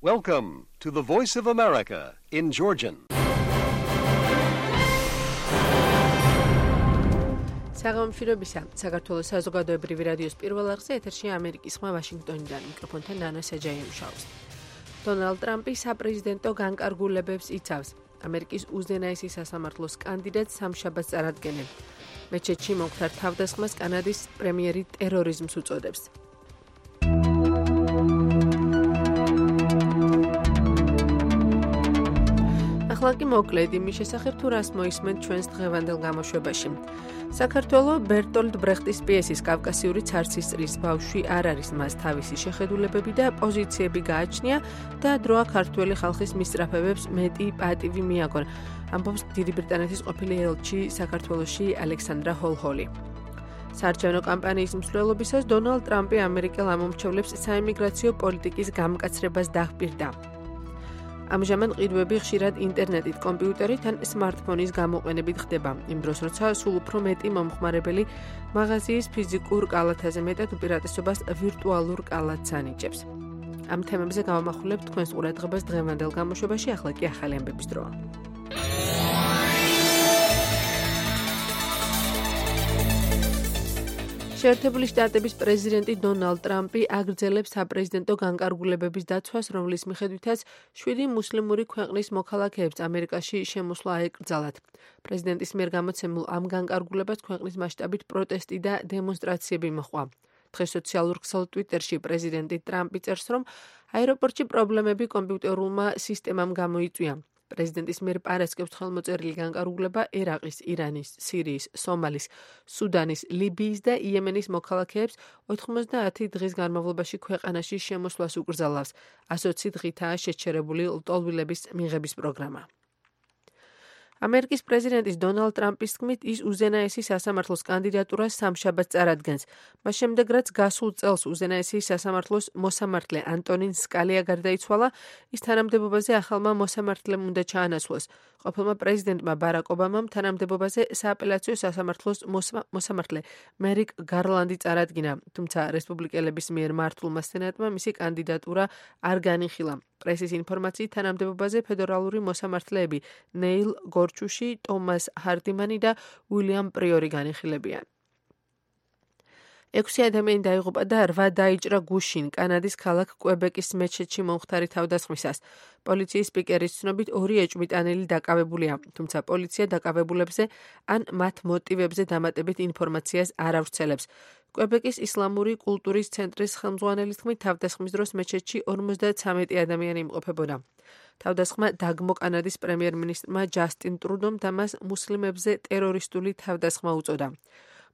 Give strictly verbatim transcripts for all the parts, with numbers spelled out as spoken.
Welcome to the Voice of America in Georgian. საღამოშირებისა საქართველოს საზოგადოებრივი რადიოს პირველ არხზე ეთერში ამერიკის ხმა ვაშინგტონიდან მიკროფონთან ნანა საჯაიუმშაუს. დონალდ ტრამპი საპრეზიდენტო განკარგულებებს იცავს. ამერიკის უზენაესი სასამართლოს კანდიდატს სამშაბათს წარადგენენ. მეჩეთში მომხდარ თავდასხმას კანადის პრემიერი ტერორიზმს უწოდებს. ახლა მოკლედ იმის შესახებ თუ რას მოისმენთ ჩვენს დღევანდელ გამოშვებაში. საქართველოს ბერტოლდ ბრეხტის პიესის კავკასიური ცარცის წრის ბავშვი არ არის, მას თავისი შეხედულებები და პოზიციები გააჩნია და დროა ქართველი ხალხის მისწრაფებებს მეტი პატივი მიაგონ. ამბობს დიდი ბრიტანეთის ყოფილი ელჩი საქართველოში ალექსანდრა ჰოლჰოლი. საარჩევნო კამპანიის მსვლელობისას დონალდ ტრამპი ამერიკელ ამომრჩევლებს საიმიგრაციო პოლიტიკის გამკაცრებას დაჰპირდა. ამჟამად ყიდვები ხშირად ინტერნეტით, კომპიუტერით ან სმარტფონის გამოყენებით ხდება. იმ დროს, როცა სულ უფრო მეტი მომხმარებელი მაღაზიის ფიზიკურ კალათაზე მეტად უპირატესობას ვირტუალურ კალათს ანიჭებს. ამ თემებზე გავამახვილებთ თქვენს ყურადღებას დღევანდელ გამოშვებაში, ახლა კი ახალი ამბების დროა. შეერთებული შტატების პრეზიდენტი დონალდ ტრამპი აგრძელებს საპრეზიდენტო განკარგულებების დაცვას, რომლის მიხედვითაც შვიდი მუსლიმური ქვეყნის მოქალაქეებს ამერიკაში შემოსვლა აეკრძალათ. პრეზიდენტის მიერ გამოცემულ ამ განკარგულებას ქვეყნის მასშტაბით პროტესტი და დემონსტრაციები მოჰყვა. დღეს სოციალურ ქსელ ტვიტერში პრეზიდენტი ტრამპი წერს, რომ აეროპორტში პრობლემები კომპიუტერულმა სისტემამ გამოიწვია. პრეზიდენტის მიერ პარასკევს ხელმოწერილი განკარგულება ერაყის, ირანის, სირიის, სომალის, სუდანის, ლიბიის და იემენის მოქალაქეებს ოთხმოცდაათი დღის განმავლობაში ქვეყანაში შემოსვლას უკრძალავს. ასი დღითაა შეჩერებული ლტოლვილების მიღების პროგრამა. ამერიკის პრეზიდენტის დონალდ ტრამპის თქმით, ის უზენაესი სასამართლოს კანდიდატურას სამშაბათს წარადგენს. მას შემდეგ, რაც გასულ წელს უზენაესი სასამართლოს მოსამართლე ანტონინ სკალია გარდაიცვალა, ის თანამდებობაზე ახალმა მოსამართლემ უნდა ჩაანაცვლოს. ყოფილმა პრეზიდენტმა ბარაკ ობამამ თანამდებობაზე სააპელაციო სასამართლოს მოსამართლე მერიკ გარლანდი წარადგინა, თუმცა რესპუბლიკელების მიერ მართულმა სენატმა მისი კანდიდატურა არ განიხილა. პრესის ინფორმაციით თანამდებობაზე ფედერალური მოსამართლეები ნეილ გორჩუში, ტომას ჰარდიმანი და უილიამ პრიორი განიხილებიან. ექვსი ადამიანი დაიღუპა და რვა დაიჭრა გუშინ კანადის ქალაქ კვებეკის მეჩეთში მომხდარი თავდასხმისას. პოლიციის სპიკერის ცნობით ორი ეჭვმიტანილი დაკავებულია, თუმცა პოლიცია დაკავებულებზე ან მათ მოტივებზე დამატებით ინფორმაციას არ ავრცელებს. კვებეკის ისლამური კულტურის ცენტრის ხელმძღვანელის თქმით, თავდასხმის დროს მეჩეთში ორმოცდათვრამეტი ადამიანი იმყოფებოდა. თავდასხმა დაგმო კანადის პრემიერ-მინისტრმა ჯასტინ ტრუდომ და მას მუსლიმებზე ტერორისტული თავდასხმა უწოდა.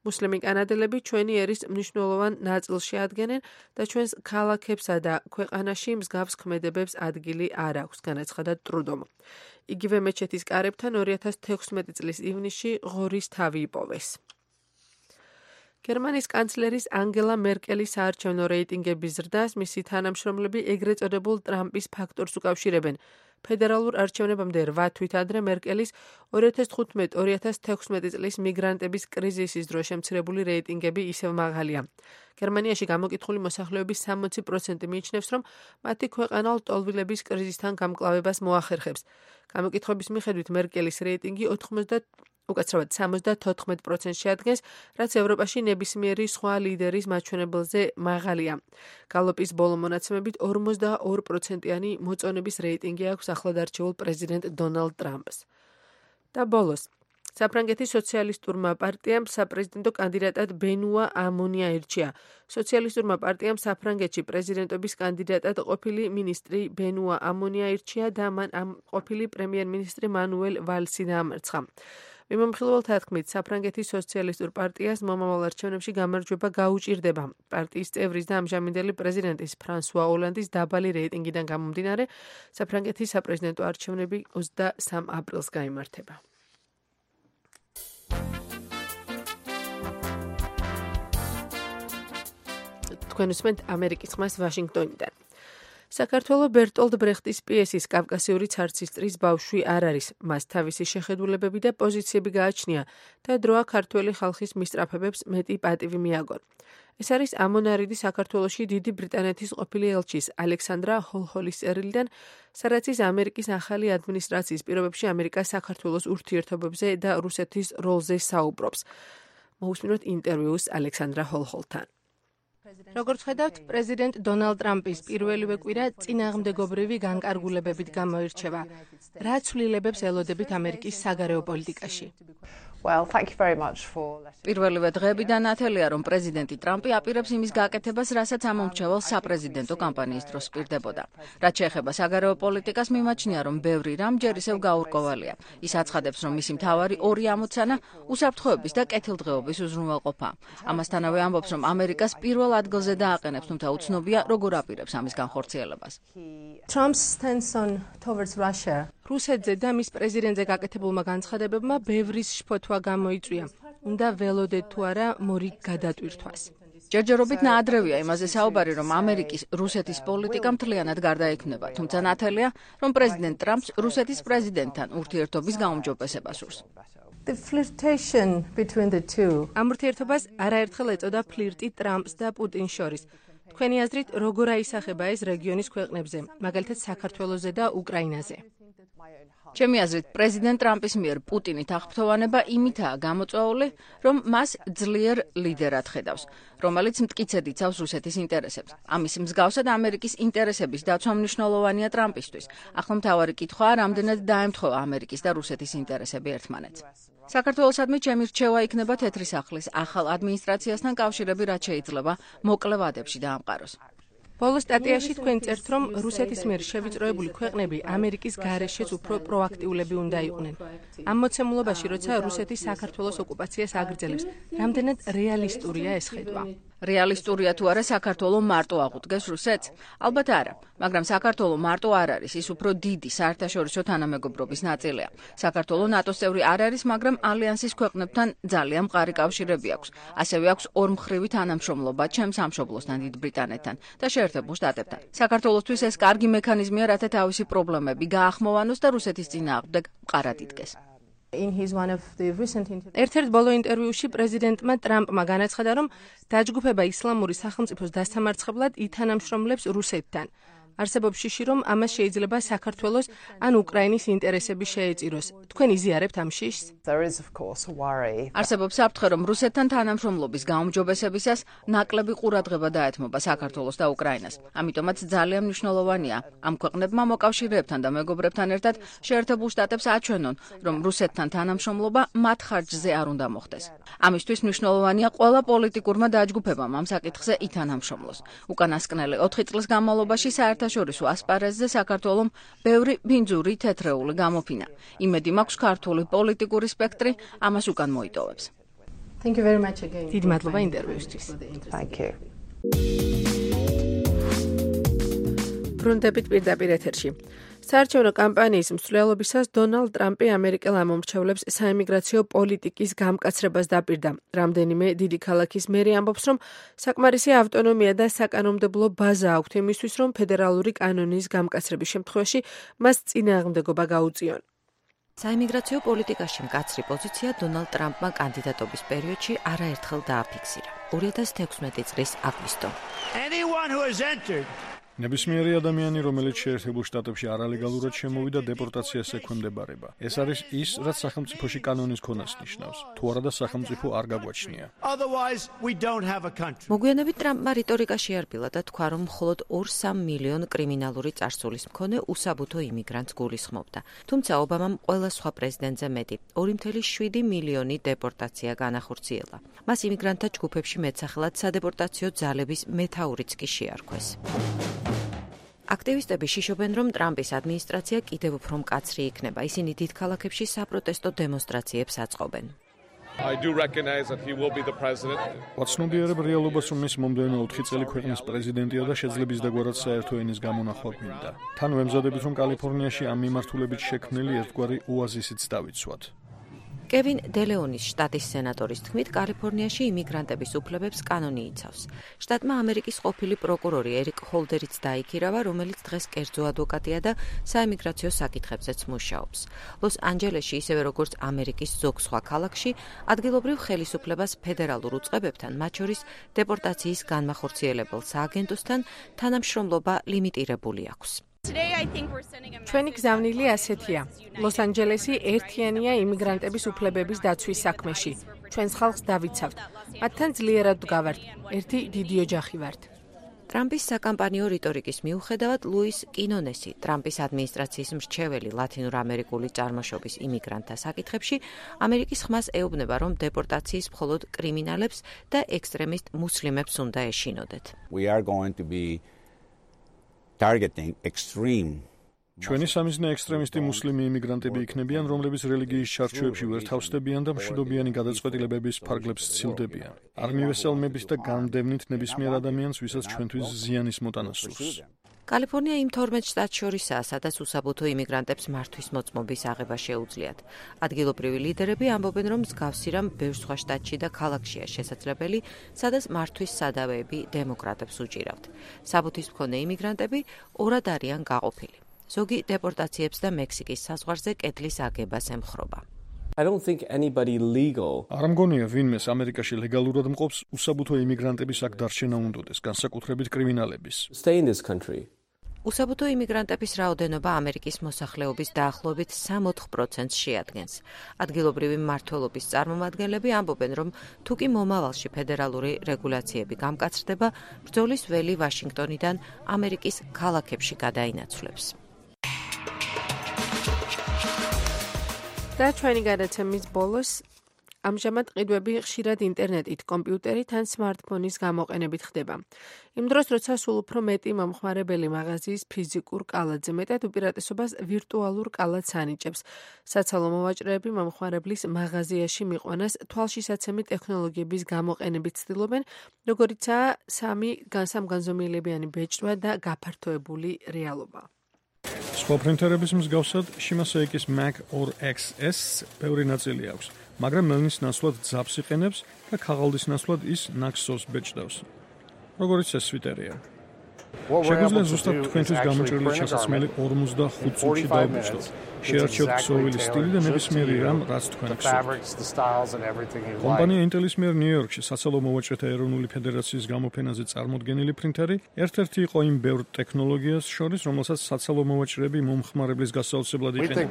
მუსლიმი კანადელები ჩვენი ერის მნიშვნელოვან ნაწილში ადგენენ და ჩვენს ქალაქებსა და ქვეყანაში მსგავს ქმედებებს ადგილი არ აქვს, განაცხადა ტრუდომ. იგივე მეჩეთის კარებთან ორი ათას თექვსმეტი წლის ივნისში ღორის თავი იპოვეს. გერმანიის კანცლერის ანგელა მერკელის საარჩევნო რეიტინგების ზრდას მისი თანამშრომლები ეგრეთ წოდებულ ტრამპის ფაქტორს უკავშირებენ. ფედერალურ არჩევნებამდე რვა თვით ადრე მერკელის ორი ათას თხუთმეტი ორი ათას თექვსმეტი წლის მიგრანტების კრიზისის დროს შემცირებული რეიტინგები ისევ მაღალია. გერმანიაში გამოკითხული მოსახლეობის სამოცი პროცენტი მიიჩნევს, რომ მათი ქვეყანა ლტოლვილების კრიზისთან გამკლავებას მოახერხებს. გამოკითხების მიხედვით მერკელის რეიტინგი უკაცრავად სამოცდათოთხმეტ პროცენტს შეადგენს, რაც ევროპაში ნებისმიერი სხვა ლიდერის მაჩვენებელზე მაღალია. გალოპის ბოლო მონაცემებით ორმოცდაორი პროცენტიანი მოწონების რეიტინგი აქვს ახლადარჩეულ პრეზიდენტ დონალდ ტრამპს. და ბოლოს, საფრანგეთის სოციალისტურმა პარტიამ საპრეზიდენტო კანდიდატად ბენუა ამონი აირჩია. სოციალისტურმა პარტიამ საფრანგეთში პრეზიდენტობის კანდიდატად ყოფილი მინისტრი ბენუა ამონი აირჩია და მან ამ ყოფილი პრემიერ-მინისტრი მანუელ ვალსი დაამარცხა. მიმომხილველთა თქმით, საფრანგეთის სოციალისტურ პარტიას მომავალ არჩევნებში გამარჯვება გაუჭირდება. პარტიის წევრის და ამჟამინდელი პრეზიდენტის ფრანსუა ოლანდის დაბალი რეიტინგიდან გამომდინარე, საფრანგეთის საპრეზიდენტო არჩევნები ოცდასამ აპრილს გაიმართება. თქვენ უსმენთ ამერიკის ხმას ვაშინგტონიდან. საქართველოს ბერტოლდ ბრეხტის პიესის კავკასიური ცარცისტრის ბავშვი არ არის. მას თავისი შეხედულებები და პოზიციები გააჩნია და დროა ქართველი ხალხის მისწრაფებებს მეტი პატივი მიაგონ. ეს არის ამონარიდი საქართველოში დიდი ბრიტანეთის ყოფილი ელჩის ალექსანდრა ჰოლჰოლის წერილიდან, სადაც ის ამერიკის ახალი ადმინისტრაციის პირობებში ამერიკას საქართველოს ურთიერთობებზე და რუსეთის როლზე საუბრობს. მოусმინოთ ინტერვიუს ალექსანდრა ჰოლჰოლთან. როგორც ხედავთ, პრეზიდენტ დონალდ ტრამპის პირველივე კვირა წინააღმდეგობრივი განკარგულებებით გამოირჩევა. რა ცვლილებებს ელოდებით ამერიკის საგარეო პოლიტიკაში? Well, thank you very much for პირველივე დღეებიდან ათელია, რომ პრეზიდენტი ტრამპი აპირებს იმის გაკეთებას, რასაც ამომრჩეველ საპრეზიდენტო კამპანიის დროს პირდებოდა. რაც შეეხება საგარეო პოლიტიკას, მიმაჩნია, რომ ბევრი რამ ჯერ ისევ გაურკვევალია. ის აცხადებს, რომ მისი მთავარი ორი ამოცანა უსაფრთხოების და კეთილდღეობის უზრუნველყოფა. ამასთანავე ამბობს, რომ ამერიკას პირველ ადგილზე დააყენებს, თუმცა უცნობია, როგორ აპირებს ამის განხორციელებას. Trump's stance on towards Russia. რუსეთზე და მის პრეზიდენტზე გაკეთებულმა განცხადებებმა ბევრის შფოთვა გამოიწვია. უნდა ველოდეთ თუ არა მორი გადატვირთვას. ჯერჯერობით ნაადრევია იმაზე საუბარი, რომ ამერიკის რუსეთის პოლიტიკა მთლიანად გარდაექმნება, თუმცა ნათელია, რომ პრეზიდენტ ტრამპს რუსეთის პრეზიდენტთან ურთიერთობის გაუმჯობესება სურს. The flirtation between the two. ამ ურთიერთობას არაერთხელ ეწოდა ფლირტი ტრამპს და პუტინს შორის. თქვენი აზრით, როგორ აისახება ეს რეგიონის ქვეყნებზე, მაგალითად საქართველოზე და უკრაინაზე? ჩემი აზრით, პრეზიდენტ ტრამპის მიერ პუტინი თაღფრთოვანება იმითაა გამოწვეული, რომ მას ძლიერ ლიდერად ხედავს, რომელიც მტკიცედ იცავს რუსეთის ინტერესებს. ამის მსგავსად ამერიკის ინტერესების დაცვა მნიშვნელოვანია ტრამპისთვის. ახლა მთავარი კითხვაა, რამდენად დაემთხვევა ამერიკის და რუსეთის ინტერესები ერთმანეთს. საქართველოსადმი ჩემი რჩევა იქნება თეთრი სახლის ახალ ადმინისტრაციასთან კავშირები, რაც შეიძლება მოკლე ვადებში დაამყაროს. ბოლო სტატიაში თქვენ წერთ, რომ რუსეთის მიერ შევიწროებული ქვეყნები ამერიკის გარეშეც უფრო პროაქტიულები უნდა იყვნენ. ამ მოცემულობაში, როცა რუსეთი საქართველოს ოკუპაციას აგრძელებს, რამდენად რეალისტურია ეს ხედვა? რეალისტურია თუ არა საქართველოს მარტო აღუდგეს რუსეთს? ალბათ არა, მაგრამ საქართველოს მარტო არ არის, ის უფრო დიდი საერთაშორისო თანამეგობრობის ნაწილია. საქართველოს ნატოს წევრი არ არის, მაგრამ ალიანსის ქვეყნებთან ძალიან მყარი კავშირები აქვს. ასევე აქვს ორმხრივი თანამშრომლობა ჩემს სამშობლოსთან, დიდ ბრიტანეთთან და შეერთებულ შტატებთან. საქართველოსთვის ეს კარგი მექანიზმია, რათა თავისი პრობლემები გაახმოვანოს და რუსეთის წინააღმდეგ მყარად იდგეს. ერთ-ერთ ბოლო ინტერვიუში პრეზიდენტმა ტრამპმა განაცხადა, რომ დაჯგუფება ისლამური სახელმწიფოს დასამარცხებლად ითანამშრომლებს რუსეთთან. არსებობს შიში, რომ ამას შეიძლება საქართველოს ან უკრაინის ინტერესები შეეწიროს. თქვენ იზიარებთ ამ შიშს? არსებობს საფრთხე, რომ რუსეთთან თანამშრომლობის გაუმჯობესებისას ნაკლები ყურადღება დაეთმობა საქართველოს და უკრაინას. ამიტომაც ძალიან მნიშვნელოვანია ამ ქვეყნებმა მოკავშირეებთან და მეგობრებთან ერთად შეერთებულ შტატებს აჩვენონ, რომ რუსეთთან თანამშრომლობა მათ ხარჯზე არ უნდა მოხდეს. ამისთვის მნიშვნელოვანია ყველა პოლიტიკურმა დაჯგუფებამ ამ საკითხზე ითანამშრომლოს. უკანასკნელი ოთხი წლის განმავლობაში საერთაშორისო ასპარეზზე საქართველომ ბევრი ბინძური თეთრეული გამოფინა. იმედი მაქვს ქართული პოლიტიკური სპექტრი ამას უკან მოიტოვებს. დიდი მადლობა ინტერვიუსთვის. ბრუნდებით პირდაპირ ეთერში. საარჩევნო კამპანიის მსვლელობისას დონალდ ტრამპი ამერიკელ ამომრჩევლებს საიმიგრაციო პოლიტიკის გამკაცრებას დაპირდა. რამდენიმე დიდი ქალაქის მერი ამბობს, რომ საკმარისი ავტონომია და საკანონმდებლო ბაზა აქვთ იმისთვის, რომ ფედერალური კანონის გამკაცრების შემთხვევაში მას წინააღმდეგობა გაუწიონ. საიმიგრაციო პოლიტიკაში მკაცრი პოზიცია დონალდ ტრამპმა კანდიდატობის პერიოდში არაერთხელ დააფიქსირა. ორი ათას თექვსმეტი წლის აგვისტო. ნებისმიერი ადამიანი, რომელიც შეერთებულ შტატებში არალეგალურად შემოვიდა, დეპორტაციას ექვემდებარება. ეს არის ის, რაც სახელმწიფოში კანონის ქონას ნიშნავს. თუ არადა სახელმწიფო არ გაგვაჩნია. მოგვიანებით ტრამპმა რიტორიკა შეარბილა და თქვა, რომ მხოლოდ ორ სამ მილიონ კრიმინალური წარსულის მქონე უსაბუთო იმიგრანტს გულისხმობდა. თუმცა ობამამ ყველა სხვა პრეზიდენტზე მეტი, ორი ათას შვიდი მილიონი დეპორტაცია განახორციელა. მას იმიგრანტთა ჯგუფებში მეტსახელად სადეპორტაციო ძალების მეთაურიც კი შეარქვეს. აქტივისტები შიშობენ, რომ ტრამპის ადმინისტრაცია კიდევ უფრო მკაცრი იქნება. ისინი დიდ ქალაქებში საპროტესტო დემონსტრაციებს აწყობენ. ვაცნობიერებ რეალობას, რომ ის მომდევნო ოთხი წელი ქვეყნის პრეზიდენტია და შეძლებს დაგვარად საერთო ენის გამონახვა გვინდა. თან ვემზადებით, რომ კალიფორნიაში ამ მიმართულებით შექმნილი ერთგვარი ოაზისიც დავიცვათ. კევინ დელეონის შტატის სენატორის თქმით, კალიფორნიაში იმიგრანტების უფლებებს კანონი იცავს. შტატმა ამერიკის ყოფილი პროკურორი ერიკ ჰოლდერიც დაიქირავა, რომელიც დღეს კერძო ადვოკატია და საიმიგრაციო საკითხებზეც მუშაობს. ლოს-ანჯელესში, ისევე როგორც ამერიკის ზოგ სხვა ქალაქში, ადგილობრივ ხელისუფლებას ფედერალურ უწყებებთან, მათ შორის დეპორტაციის განმახორციელებელ სააგენტოსთან თანამშრომლობა ლიმიტირებული აქვს. ჩვენი გზავნილი ასეთია. ლოს-ანჯელესი ერთიანია იმიგრანტების უფლებების დაცვის საქმეში. ჩვენს ხალხს დავიცავთ. მათთან ძლიერად ვდგავართ. ერთი დიდი ოჯახი ვართ. ტრამპის საკამპანიო რიტორიკის მიუხედავად, ლუის კინონესი, ტრამპის ადმინისტრაციის მრჩეველი ლათინურ-ამერიკული წარმოშობის იმიგრანტთა საკითხებში, ამერიკის ხმას ეუბნება, რომ დეპორტაციის მხოლოდ კრიმინალებს და ექსტრემისტ მუსლიმებს უნდა ეშინოდეთ. We are going to be targeting extreme ჩვენი სამიზნე ექსტრემისტი მუსლიმი იმიგრანტები იქნებიან, რომლებიც რელიგიის ჩარჩოებში ვერ თავსდებიან და მშვიდობიანი გადაწყვეტილებების ფარგლებს სცილდებიან. არ მივესალმებით და განდევნით ნებისმიერ ადამიანს, ვისაც ჩვენთვის ზიანის მოტანა სურს. კალიფორნია იმ თორმეტ შტატს შორისაა, სადაც უსაბუთო იმიგრანტებს მართვის მოწმობის აღება შეუძლიათ. ადგილობრივი ლიდერები ამბობენ, რომ მსგავსი რამ ბევრ სხვა შტატში და ქალაქშია შესაძლებელი, სადაც მართვის სადავეები დემოკრატებს უჭირავთ. საბუთის მქონე იმიგრანტები ორად არიან გაყოფილი. ზოგი დეპორტაციებს და მექსიკის საზღვარზე კედლის აგებას ემხრობა. I don't think anybody legal. არ მგონია ვინმეს ამერიკაში ლეგალურად მყოფს უსაბუთო იმიგრანტების აქ დარჩენა უნდოდეს, განსაკუთრებით კრიმინალების. Stay in this country. უსაბუთო იმიგრანტების რაოდენობა ამერიკის მოსახლეობის დაახლოებით სამოთხ პროცენტს შეადგენს. ადგილობრივი მმართველობის წარმომადგენლები ამბობენ, რომ თუ კი მომავალში ფედერალური რეგულაციები გამკაცრდება, ბრძოლის ველი ვაშინგტონიდან ამერიკის ქალაქებში გადაინაცვლებს. და ჩვენი გადაცემის ბოლოს ამჟამად ყიდვები ხშირად ინტერნეტით, კომპიუტერით ან სმარტფონის გამოყენებით ხდება. იმ დროს, როცა სულ უფრო მეტი მომხმარებელი მაღაზიის ფიზიკურ კალათზე, მეტად უპირატესობას ვირტუალურ კალათს ანიჭებს. საცალო მოვაჭრეები მომხმარებლის მაღაზიაში მიყვანას თვალშისაცემი ტექნოლოგიების გამოყენებით ცდილობენ, როგორიცაა სამი სამგანზომილებიანი ბეჭდვა და გაფართოებული რეალობა. სხვა პრინტერების მსგავსად, შიმასეიკის Mac ორ ექს ეს ბევრი ნაწილი აქვს, მაგრამ მელნის ნაცვლად ძაბს იყენებს და ქაღალდის ნაცვლად ის ნაქსოს ბეჭდავს. როგორიც ეს სვიტერია. შეგვიძლია ზუსტად თქვენთვის გამოჭრილი ჩასასმელი ორმოცდახუთ წუთში დავბეჭდოთ. შეარჩიოთ ქსოვილი სტილი და ნებისმიერი რამ, რაც თქვენ გსურთ. კომპანია ინტელის მიერ ნიუ-იორკში საცალო მოვაჭრეთა ეროვნული ფედერაციის გამოფენაზე წარმოდგენილი პრინტერი ერთ-ერთი იყო იმ ბევრ ტექნოლოგიას შორის, რომელსაც საცალო მოვაჭრეები მომხმარებლის გასაოცებლად იყენებენ.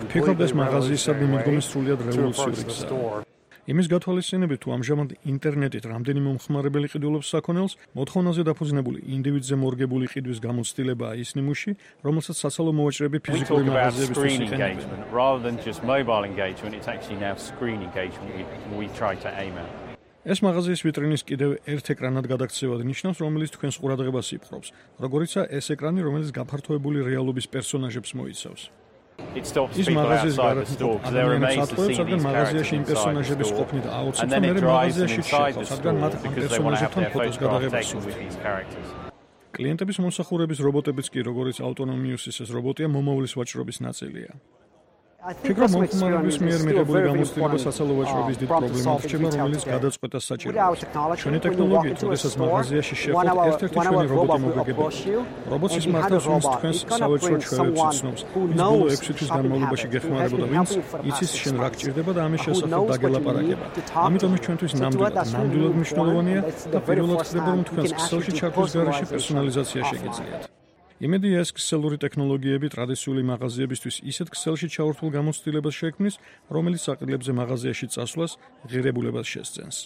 ვფიქრობ, ეს მაღაზიისადმი მიდგომის სრულიად რევოლუციური გზაა. იმის გათვალისწინებით, თუ ამჟამად ინტერნეტით რამდენი მომხმარებელი ყიდულობს საქონელს, მოთხოვნაზე დაფუძნებული ინდივიდზე მორგებული ყიდვის გამოცდილებაა ის ნიმუში, რომელსაც საცალო მოვაჭრეები ფიზიკური მაღაზიებისთვის იყენებენ. ეს მაღაზიის ვიტრინის კიდევ ერთ ეკრანად გადაქცევად ნიშნავს, რომელიც თქვენს ყურადღებას იპყრობს, როგორიცაა ეს ეკრანი, რომელიც გაფართოებული რეალობის პერსონაჟებს მოიცავს. ის მაღაზიის გარეთ ადამიანებს ატყუებს, რადგან მაღაზიაში იმ პერსონაჟების ყოფნით აუცილებლია, მე მაღაზიაში შეხვდეთ, რადგან მათ ამ პერსონაჟებთან ფოტოს გადაღებას სურვით. კლიენტების მომსახურების რობოტებიც კი, როგორც ავტონომიუსის ეს რობოტია, მომავლის ვაჭრობის ნაწილია. ფიქრობ, მომხმარებლის მიერ მიღებული გამოცდილება საცალო ვაჭრობის დიდ პრობლემად რჩება, რომელიც გადაწყვეტას საჭიროებს. ჩვენი ტექნოლოგიით, როდესაც მაღაზიაში შეხვდეთ, ერთ-ერთი ჩვენი რობოტი მოგეგებია. რობოტის მართავს, ვინც თქვენს სავაჭრო ჩვევებს იცნობს. ის ბოლო ექვსი თვის განმავლობაში გეხმარებოდა, ვინც იცის შენ რა გჭირდება და ამის შესახებ დაგელაპარაკება. ამიტომ ის ჩვენთვის ნამდვილად, ნამდვილად მნიშვნელოვანია და პირველად ხდება, რომ თქვენს ქსელში ჩართვის გარეშე პერსონალიზაცია შეგიძლიათ. იმედია, ეს ქსელური ტექნოლოგიები ტრადიციული მაღაზიებისთვის ისეთ ქსელში ჩაურთულ გამოცდილებას შექმნის, რომელიც საყიდლებზე მაღაზიაში წასვლას ღირებულებას შესძენს.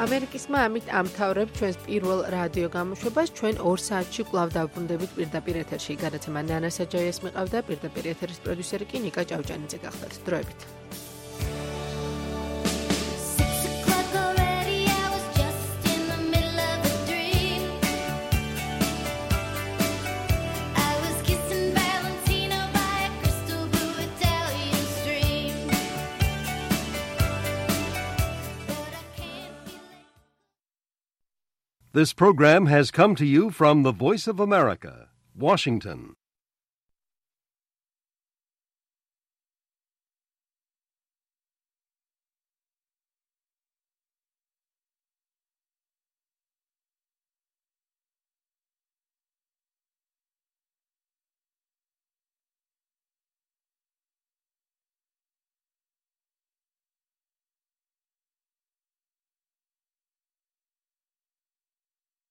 ამერიკისმა ამით ამთავრებს ჩვენს პირველ რადიო გამოშვებას. ჩვენ ორ საათში კვლავ დავბრუნდებით პირდაპირ ეთერში. გადაცემა ნანა საჯაიას მიყავდა, პირდაპირ ეთერის პროდიუსერი კი ნიკა ჭავჭანიძე გახდათ. დროებით. This program has come to you from the Voice of America, Washington.